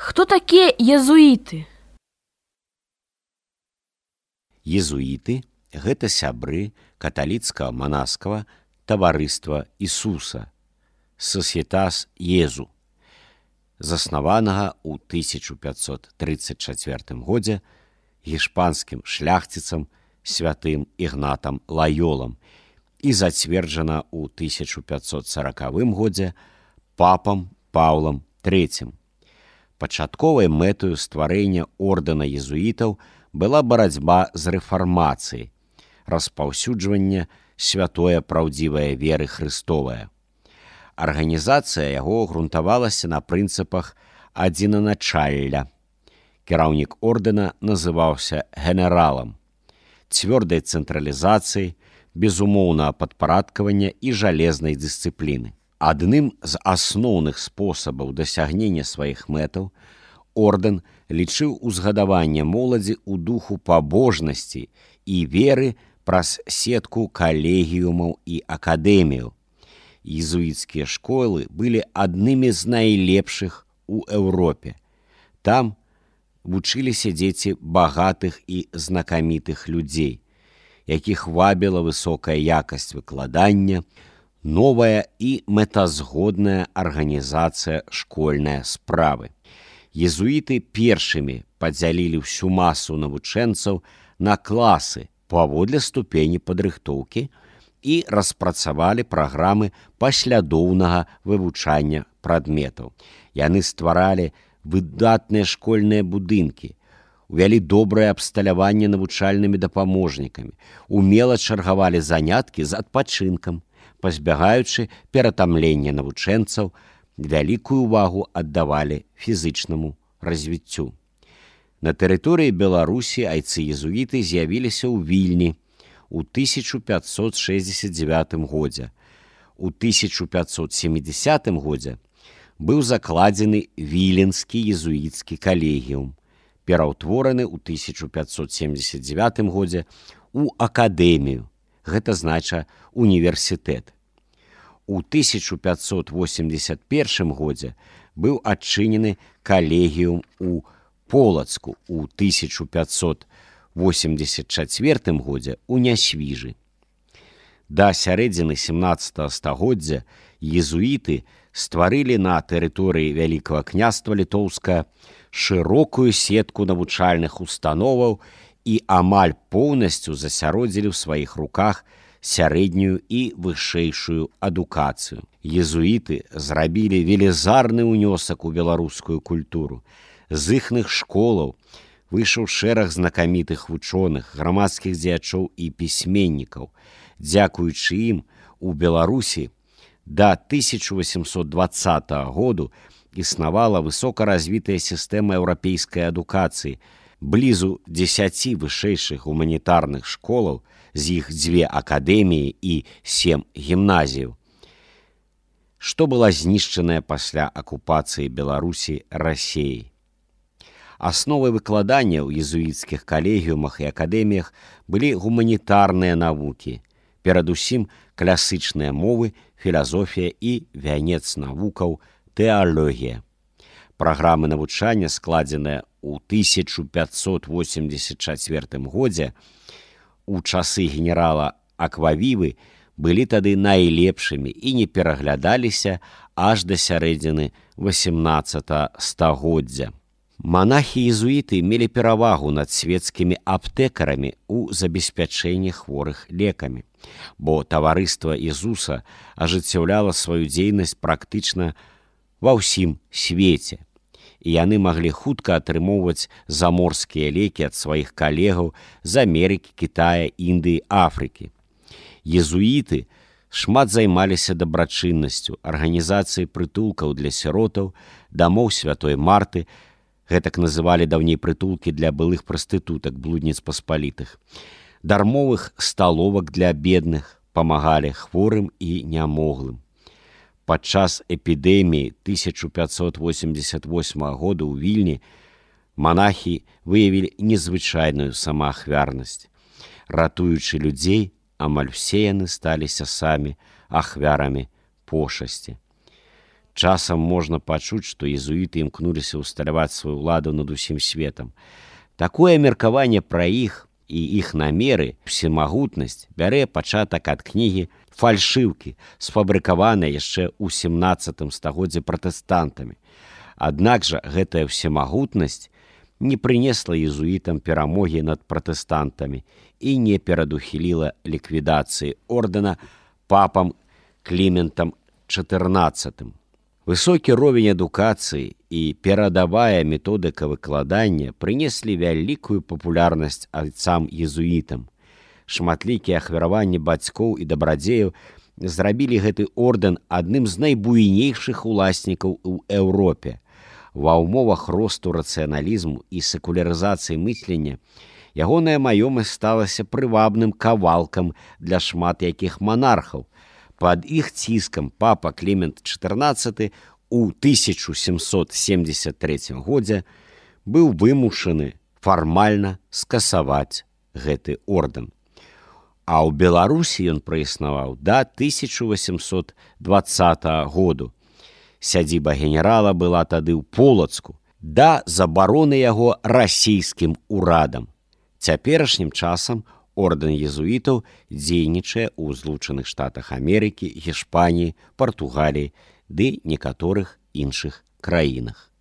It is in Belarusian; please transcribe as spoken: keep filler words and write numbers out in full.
Хто такія езуіты? Езуіты – гэта сябры каталіцкага манаскага таварыства Ісуса, Сасьетас Езу, заснаванага ў тысяча пятьсот тридцать чацвёртым годзе гішпанскім шляхціцам святым Ігнатам Лайолам і зацверджана ў тысяча пятьсот сорокавым годзе папам Паўлам трэцім. Пачатковай мэтаю стварэння ордэна езуітаў была барацьба з рэфармацыяй, распаўсюджванне святое праўдзівае веры Хрыстовая. Арганізацыя яго грунтавалася на прынцыпах адзінаначалля. Кіраўнік ордэна называўся генералам. Цвёрдай цэнтралізацыі, безумоўнага падпарадкавання і жалезнай дысцыпліны. Адным з асноўных спосабаў дасягнення сваіх мэтаў ордэн лічыў узгадаванне моладзі ў духу пабожнасці і веры праз сетку калегіумаў і акадэміяў. Езуіцкія школы былі аднымі з найлепшых у Еўропе. Там вучыліся дзеці багатых і знакамітых людзей, якіх вабіла высокая якасць выкладання, новая і мэтазгодная арганізацыя школьнай справы. Езуіты першымі падзялілі ўсю масу навучэнцаў на класы паводле ступені падрыхтоўкі і распрацавалі праграмы паслядоўнага вывучання прадметаў. Яны стваралі выдатныя школьныя будынкі, увялі добрае абсталяванне навучальнымі дапаможнікамі, умела чаргавалі заняткі з адпачынкам, пазбягаючы ператамлення навучэнцаў, вялікую ўвагу аддавалі фізычнаму развіццю. На тэрыторыі Беларусі айцы-езуіты з'явіліся ў Вільні ў тысяча пятьсот шэсцьдзесят дзевятым годзе. У тысяча пятьсот семидесятым годзе быў закладзены Віленскі езуіцкі калегіум, пераўтвораны ў тысяча пятьсот семьдесят девятым годзе ў акадэмію, гэта знача універсітэт. У тысяча пятьсот восемьдесят первым годзе быў адчынены калегіум у Полацку, у тысяча пятьсот восемьдесят четвёртым годзе у Нясвіжы. Да сярэдзіны семнадцатага стагоддзя езуіты стварылі на тэрыторыі Вялікага княства Літоўскага шырокую сетку навучальных установаў і амаль поўнасцю засяродзілі ў сваіх руках сярэднюю і вышэйшую адукацыю. Езуіты зрабілі велізарны ўнёсак у беларускую культуру. З іхных школаў выйшаў шэраг знакамітых вучоных, грамадскіх дзеячоў і пісьменнікаў. Дзякуючы ім у Беларусі да тысяча восемьсот двадцатага году існавала высокаразвітая сістэма еўрапейскай адукацыі, блізу дзесяці вышэйшых гуманітарных школаў, з іх дзве акадэміі і сем гімназіяў, што была знішчаная пасля акупацыі Беларусі Расіяй. Асновай выкладання ў езуіцкіх калегіумах і акадэміях былі гуманітарныя навукі, перадусім класычныя мовы, філазофія і вянец навукаў тэалогія. Праграмы навучання, складзеныя ў тысяча пятьсот восемьдесят четвёртым годзе, у часы генерала Аквавівы былі тады найлепшымі і не пераглядаліся аж да сярэдзіны восемнадцатага стагоддзя. Манахі-езуіты мелі перавагу над свецкімі аптэкарамі ў забеспячэнні хворых лекамі, бо таварыства Езуса ажыццяўляла сваю дзейнасць практычна ва ўсім свеце, і яны маглі хутка атрымоўваць заморскія лекі ад сваіх калегаў з Амерыкі, Кітая, Індыі, Афрыкі. Езуіты шмат займаліся дабрачыннасцю, арганізацыяй прытулкаў для сіротаў, дамоў святой Марты, гэтак называлі даўней прытулкі для былых прастытутак, блудніц паспалітых, дармовых сталовак для бедных, памагалі хворым і нямоглым. Падчас эпідэміі тысяча пятьсот восемьдесят восьмага года ў Вільні манахі выявілі незвычайную самаахвярнасць. Ратуючы людзей, амаль усе яны сталіся самі ахвярамі пошасці. Часам можна пачуць, што езуіты імкнуліся ўсталяваць сваю ўладу над усім светам. Такое меркаванне пра іх і іх намеры, всемагутнасць бярэ пачатак ад кнігі «Фальшыўкі», сфабрыкаванай яшчэ ў сямнаццатым стагоддзі пратэстантамі. Аднак жа гэтая всемагутнасць не прынесла езуітам перамогі над пратэстантамі і не перадухіліла ліквідацыі ордэна папам Кліментам чатырнаццатым. Высокі ровень адукацыі і перадавая методыка выкладання прынеслі вялікую папулярнасць айцам езуітам. Шматлікія ахвяраванні бацькоў і дабрадзеяў зрабілі гэты ордэн адным з найбуйнейшых уласнікаў у Еўропе. Ва ўмовах росту рацыяналізму і секулярызацыі мыслення ягоная маёмасць сталася прывабным кавалкам для шмат якіх монархаў. Пад іх ціскам папа Клімент чатырнаццаты ў тысяча сямсот семдзесят трэцім годзе быў вымушаны фармальна скасаваць гэты ордэн. А ў Беларусі ён праіснаваў да тысяча восемьсот двадцатага году. Сядзіба генерала была тады ў Полацку да забароны яго расійскім урадам. Цяперашнім часам ордэн езуітаў дзейнічае ў Злучаных Штатах Амерыкі, Гішпаніі, Партугаліі ды некаторых іншых краінах.